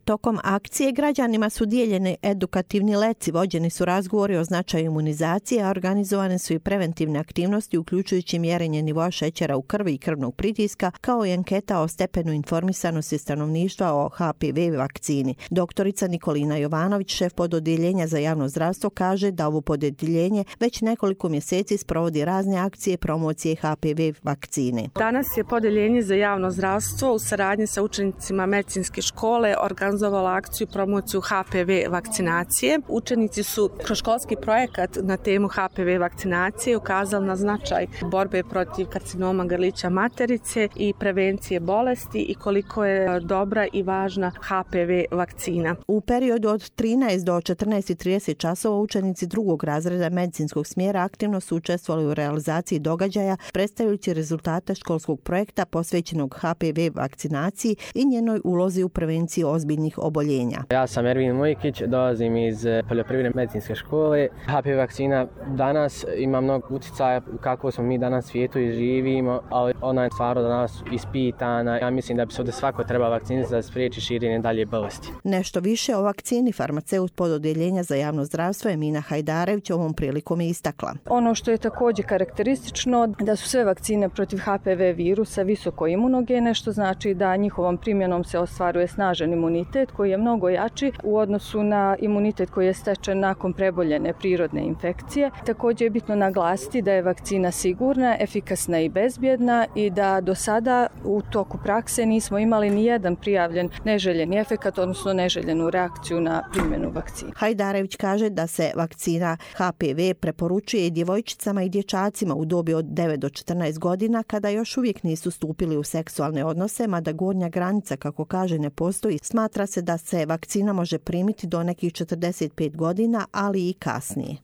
Tokom akcije građanima su dijeljeni edukativni leci, vođeni su razgovori o značaju imunizacije, a organizovane su i preventivne aktivnosti uključujući mjerenje nivoa šećera u krvi i krvnog pritiska, kao i anketa o stepenu informisanosti stanovništva o HPV vakcini. Doktorica Nikolina Jovanović, šef pododjeljenja za javno zdravstvo, kaže da ovo pododjeljenje već nekoliko mjeseci sprovodi razne akcije promocije HPV vakcine. Danas je pododjeljenje za javno zdravstvo u saradnji sa učenicima medicinske škole organizovala akciju promociju HPV vakcinacije. Učenici su kroz školski projekat na temu HPV vakcinacije ukazali na značaj borbe protiv karcinoma grlića materice i prevencije bolesti i koliko je dobra i važna HPV vakcina. U periodu od 13 do 14:30 časova učenici drugog razreda medicinskog smjera aktivno su učestvovali u realizaciji događaja, predstavljajući rezultate školskog projekta posvećenog HPV vakcinaciji i njenoj ulozi u prevenciji ozbiljnih oboljenja. Ja sam Ervin Mujkić, dolazim iz poljoprivredne medicinske škole. HPV vakcina danas ima mnogo utjecaja kako smo mi danas u svijetu i živimo, ali ona je stvarno danas ispitana. Ja mislim da bi se ovdje svako treba vakcinisati da spriječi širenje dalje bolesti. Nešto više o vakcini farmaceut pododjeljenja za javno zdravstvo Emina Hajdarević ovom prilikom je istakla. Ono što je također karakteristično da su sve vakcine protiv HPV virusa visoko imunogene, što znači da njihovom primjenom se ostvaruje snažan imunitet koji je mnogo jači u odnosu na imunitet koji je stečen nakon preboljene prirodne infekcije. Također je bitno naglasiti da je vakcina sigurna, efikasna i bezbjedna i da do sada u toku prakse nismo imali ni jedan prijavljen neželjeni efekat, odnosno neželjenu reakciju na primjenu vakcine. Hajdarević kaže da se vakcina HPV preporučuje i djevojčicama i dječacima u dobi od 9 do 14 godina kada još uvijek nisu stupili u seksualne odnose, mada gornja granica, kako kaže, ne postoji. Smatra se da se vakcina može primiti do nekih 45 godina, ali i kasnije.